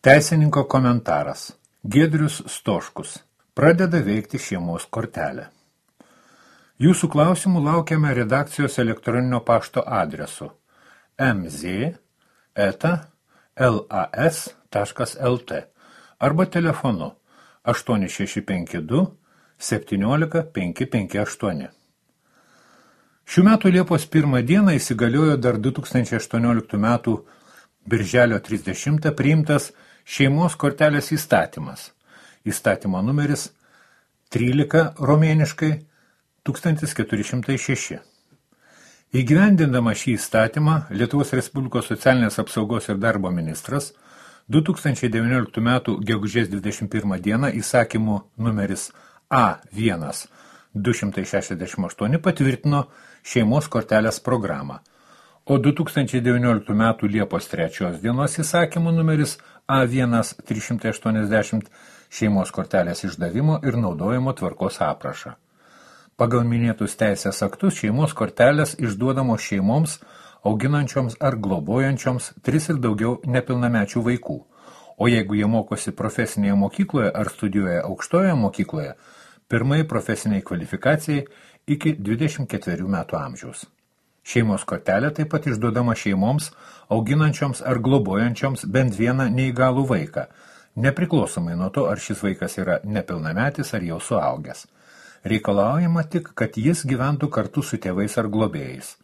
Teisininko komentaras. Giedrius Stoškus. Pradeda veikti šeimos kortelė. Jūsų klausimų laukiame redakcijos elektroninio pašto adresu mz@las.lt arba telefonu 8652 17 558. Šių metų Liepos 1 dieną įsigaliojo dar 2018 metų Birželio 30 priimtas šeimos kortelės įstatymas. Įstatymo numeris 13 romėniškai 1406. Įgyvendindama šį įstatymą, Lietuvos Respublikos socialinės apsaugos ir darbo ministras 2019 metų gegužės 21 dieną įsakymu numeris A1 268 patvirtino šeimos kortelės programą, o 2019 metų Liepos 3 dienos įsakymu numeris A1 380 šeimos kortelės išdavimo ir naudojimo tvarkos aprašą. Pagal minėtus teisės aktus šeimos kortelės išduodamos šeimoms, auginančioms ar globojančioms 3 ir daugiau nepilnamečių vaikų, o jeigu jie mokosi profesinėje mokykloje ar studijuoja aukštojoje mokykloje, pirmai profesiniai kvalifikacijai iki 24 metų amžiaus. Šeimos kortelė taip pat išduodama šeimoms, auginančioms ar globojančioms bent vieną neįgalų vaiką, nepriklausomai nuo to, ar šis vaikas yra nepilnametis ar jau suaugęs. Reikalaujama tik, kad jis gyventų kartu su tėvais ar globėjais.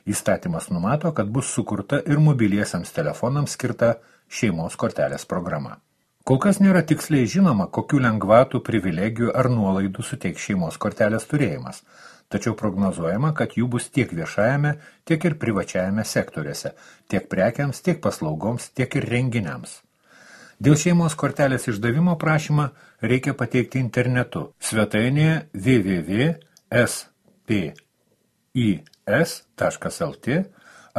Įstatymas numato, kad bus sukurta ir mobiliesiems telefonams skirta šeimos kortelės programa. Kol kas nėra tiksliai žinoma, kokių lengvatų, privilegijų ar nuolaidų suteiks šeimos kortelės turėjimas, tačiau prognozuojama, kad jų bus tiek viešajame, tiek ir privačiajame sektoriuose, tiek prekiams, tiek paslaugoms, tiek ir renginiams. Dėl šeimos kortelės išdavimo prašymą reikia pateikti internetu svetainėje www.spis.lt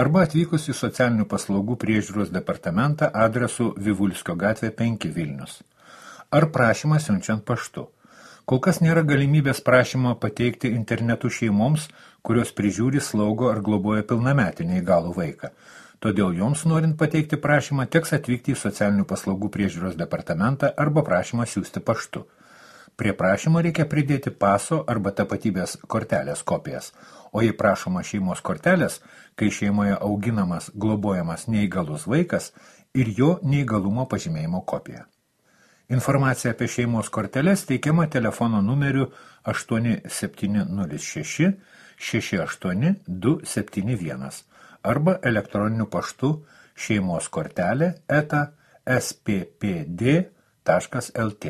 arba atvykus į socialinių paslaugų priežiūros departamentą adresu Vivulskio gatvė 5 Vilnius. Ar prašymą siunčiant paštu. Kol kas nėra galimybės prašymą pateikti internetu šeimoms, kurios prižiūri, slaugo ar globoja pilnametį neįgalų vaiką. Todėl joms norint pateikti prašymą, teks atvykti į socialinių paslaugų priežiūros departamentą arba prašymą siųsti paštu. Prie prašymo reikia pridėti paso arba tapatybės kortelės kopijas, o jei prašoma šeimos kortelės, kai šeimoje auginamas, globojamas neįgalus vaikas ir jo neįgalumo pažymėjimo kopija. Informacija apie šeimos korteles teikiama telefono numeriu 8706 68 271 arba elektroniniu paštu šeimoskortelė@sppd.lt.